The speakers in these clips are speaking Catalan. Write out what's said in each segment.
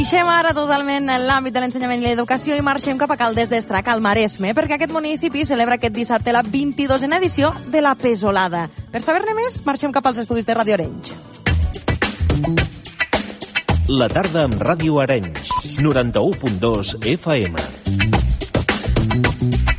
Deixem ara totalment l'àmbit de l'ensenyament i l'educació i marxem cap a Caldes d'Estrac, al Maresme, perquè aquest municipi celebra aquest dissabte la 22a edició de la Pesolada. Per saber-ne més, marxem cap als estudis de Ràdio Arenys. La tarda amb Ràdio Arenys, 91.2 FM.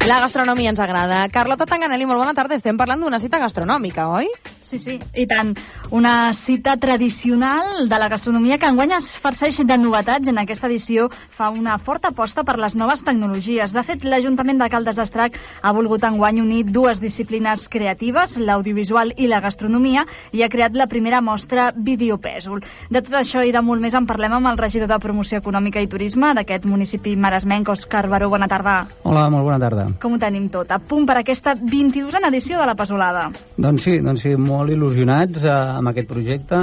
La gastronomia ens agrada. Carlota Tanganelli, molt bona tarda. Estem parlant d'una cita gastronòmica, oi? Sí, i tant. Una cita tradicional de la gastronomia que enguany es farceix de novetats. En aquesta edició fa una forta aposta per les noves tecnologies. De fet, l'Ajuntament de Caldes d'Estrac ha volgut enguany unir dues disciplines creatives, l'audiovisual i la gastronomia, i ha creat la primera mostra Videopèsol. De tot això i de molt més en parlem amb el regidor de Promoció Econòmica i Turisme d'aquest municipi maresmenc, Òscar Baró. Bona tarda. Hola, molt bona tarda. Com ho tenim tot? A punt per aquesta 22a edició de la Pesolada. Doncs sí, molt il·lusionats amb aquest projecte.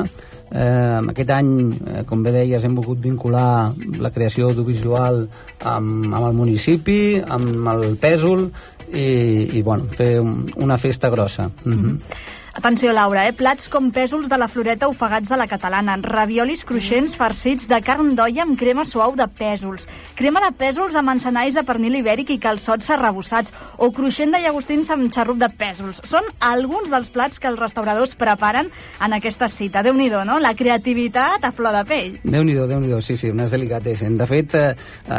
Aquest any, com bé deies, hem volgut vincular la creació audiovisual amb el municipi, amb el pèsol i fer una festa grossa. Atenció, Laura, plats com pèsols de la Floreta ofegats a la catalana, raviolis cruixents farcits de carn d'olla amb crema suau de pèsols, crema de pèsols amb encenalls de pernil ibèric i calçots arrebossats, o cruixent de llagostins amb xarrup de pèsols. Són alguns dels plats que els restauradors preparen en aquesta cita. Déu-n'hi-do, no? La creativitat a flor de pell. Déu-n'hi-do, sí, unes delicatessen. De fet,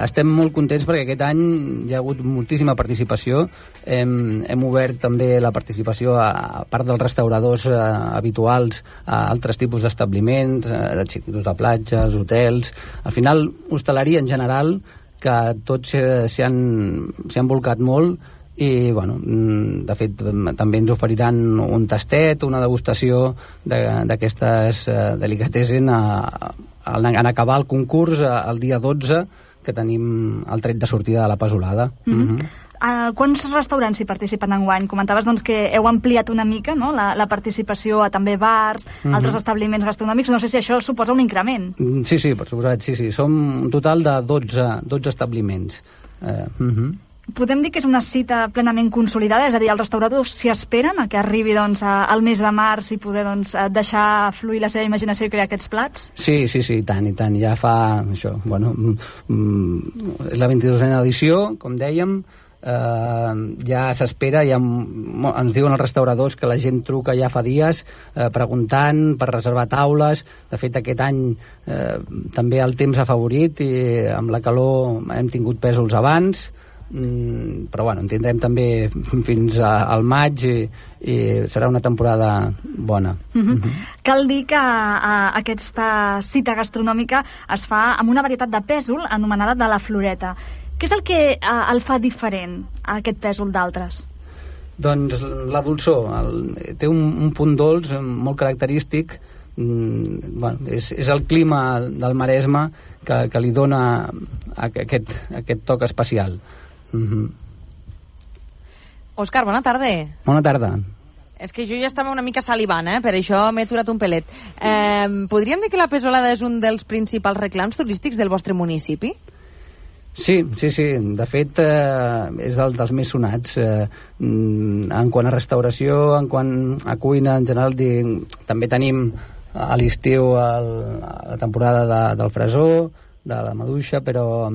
estem molt contents perquè aquest any hi ha hagut moltíssima participació. Hem obert també la participació a part dels restauradors habituals a altres tipus d'establiments, de xiquitos de platja, els hotels. Al final, hostaleria en general, que tots s'hi han volcat molt i, de fet, també ens oferiran un tastet, una degustació d'aquestes delicatessen en acabar el concurs el dia 12, que tenim el tret de sortida de la Pesolada. Quants restaurants hi participen enguany? Comentaves que heu ampliat una mica, no? la participació a també bars, altres establiments gastronòmics. No sé si això suposa un increment. Sí, per suposat, sí. Som un total de 12 establiments. Podem dir que és una cita plenament consolidada? És a dir, els restauradors s'hi esperen a que arribi al mes de març i poder deixar fluir la seva imaginació i crear aquests plats? Sí, i tant. Ja fa això, és la 22a edició, com dèiem. Ja s'espera, ens diuen els restauradors que la gent truca ja fa dies preguntant per reservar taules. De fet, aquest any també el temps ha afavorit i amb la calor hem tingut pèsols abans, però en tindrem també fins al maig i serà una temporada bona. Cal dir que aquesta cita gastronòmica es fa amb una varietat de pèsol anomenada de la Floreta. Què és el que el fa diferent, aquest pèsol d'altres? Doncs la dolçor. Té un punt dolç molt característic. És el clima del Maresme que li dona aquest toc especial. Òscar, bona tarda. Bona tarda. És que jo ja estava una mica salivant, per això m'he aturat un pelet. Podríem dir que la Pesolada és un dels principals reclams turístics del vostre municipi? Sí. De fet, és dels més sonats. En quant a restauració, en quant a cuina, en general, també tenim a l'estiu la temporada del fresó, de la maduixa, però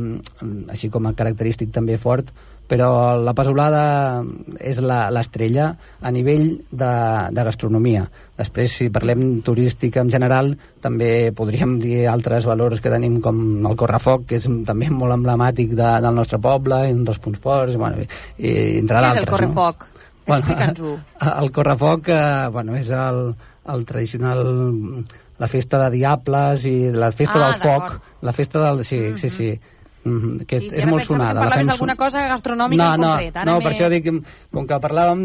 així com a característic també fort. Però la Pesolada és l'estrella a nivell de gastronomia. Després, si parlem turística en general, també podríem dir altres valors que tenim, com el correfoc, que és també molt emblemàtic del nostre poble, un dels punts forts, i entre d'altres. Què és el correfoc? No? Explica'ns-ho. El correfoc és el tradicional, la festa de diables i la festa del foc. La festa del... Sí. Que és molt sonada. Parlaves d'alguna cosa gastronòmica en concret. No, per això dic, com que parlàvem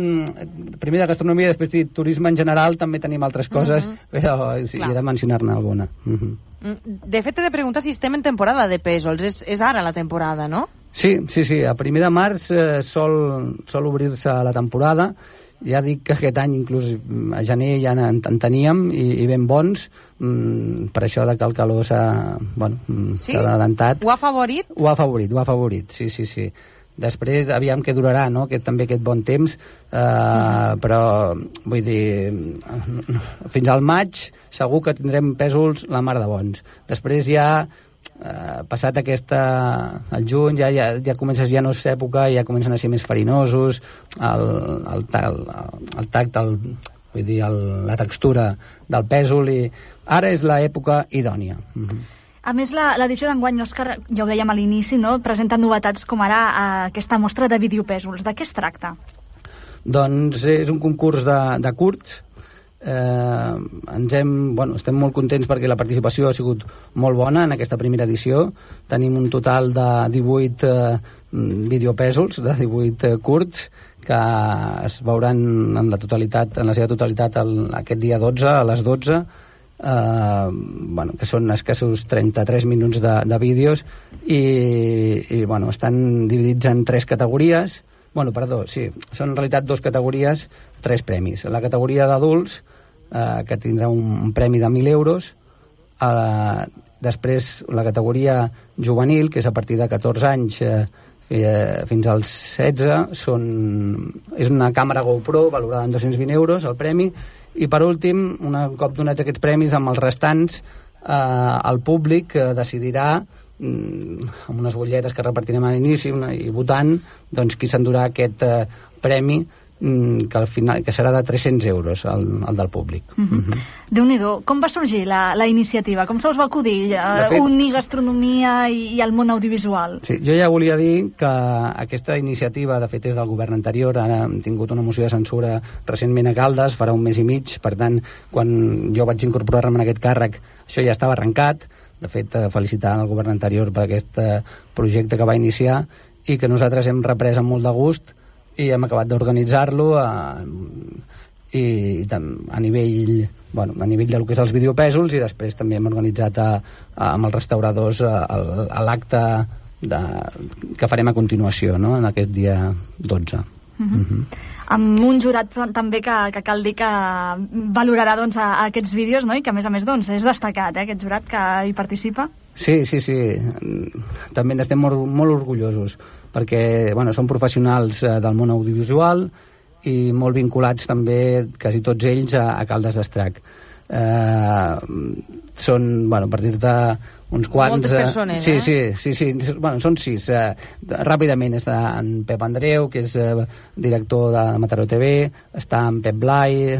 primer de gastronomia, després de turisme en general, també tenim altres coses, però he de mencionar-ne alguna. De fet, t'he de preguntar si estem en temporada de pèsols. És ara la temporada, no? Sí. A primer de març sol obrir-se la temporada. Ja dic que aquest any inclús a gener ja en teníem i ben bons, per això de que el calor s'ha adelantat. Ho ha afavorit? Ho ha afavorit, sí. Després, aviam què durarà, no? Aquest bon temps, però vull dir, fins al maig segur que tindrem pèsols la mar de bons. Després ja passat el juny ja comences, ja no és època, ja comencen a ser més farinosos, el tacte, vull dir, la textura del pèsol, i ara és l'època idònia. A més, l'edició d'enguany, Òscar, ja ho dèiem a l'inici, no? Presenta novetats com ara aquesta mostra de videopèsols. De què es tracta? Doncs és un concurs de curts. Estem molt contents perquè la participació ha sigut molt bona en aquesta primera edició. Tenim un total de 18 videopèsols, de 18 curts, que es veuran en la seva totalitat aquest dia 12 a les 12, que són escassos 33 minuts de vídeos, i estan dividits en 3 categories. Són en realitat 2 categories, 3 premis. La categoria d'adults, que tindrà un premi de 1.000 euros. Després la categoria juvenil, que és a partir de 14 anys fins als 16, és una càmera GoPro valorada en 220 euros el premi. I per últim, un cop donats aquests premis, amb els restants, el públic decidirà, amb unes butlletes que repartirem a l'inici i votant, doncs qui s'endurà aquest premi, que al final serà de 300 euros el del públic. Déu-n'hi-do. Com va sorgir la iniciativa? Com se us va acudir unir gastronomia i el món audiovisual? Sí, jo ja volia dir que aquesta iniciativa, de fet, és del govern anterior. Ara hem tingut una moció de censura recentment a Caldes, farà un mes i mig. Per tant, quan jo vaig incorporar-me en aquest càrrec, això ja estava arrencat. De fet, felicitar el govern anterior per aquest projecte que va iniciar i que nosaltres hem reprès amb molt de gust i hem acabat d'organitzar-lo i a nivell del que és els videopèsols, i després també hem organitzat amb els restauradors l'acte que farem a continuació, no?, en aquest dia 12. Amb un jurat també que cal dir que valorarà aquests vídeos, no? I que a més és destacat, aquest jurat que hi participa. Sí, també n'estem molt orgullosos, perquè són professionals del món audiovisual i molt vinculats també, quasi tots ells, a Caldes d'Estrac. Són, per dir-te uns quants... Moltes persones, Sí. Són 6. Ràpidament està en Pep Andreu, que és director de Mataró TV, està en Pep Blai,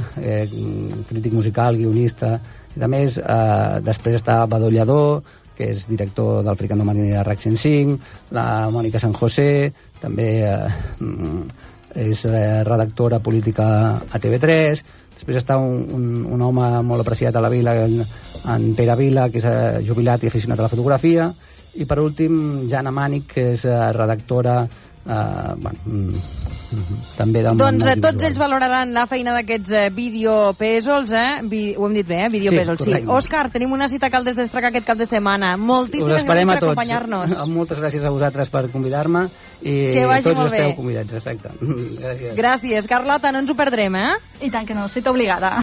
crític musical, guionista, i a més, després està Badó Lladó, que és director del Fricando Mariner de RAC 105, la Mònica San José, també és redactora política a TV3. Després està un home molt apreciat a la vila, en Pere Vila, que és jubilat i aficionat a la fotografia. I per últim, Jana Mànic, que és redactora també del món audiovisual. Tots ells valoraran la feina d'aquests videopèsols, ho hem dit bé, videopèsols, sí. Òscar, tenim una cita a Caldes d'Estrac aquest cap de setmana. Moltíssimes gràcies per acompanyar-nos. Moltes gràcies a vosaltres per convidar-me i tots esteu convidats, exacte. Gràcies. Carlota, no ens ho perdrem, I tant que no, cita obligada.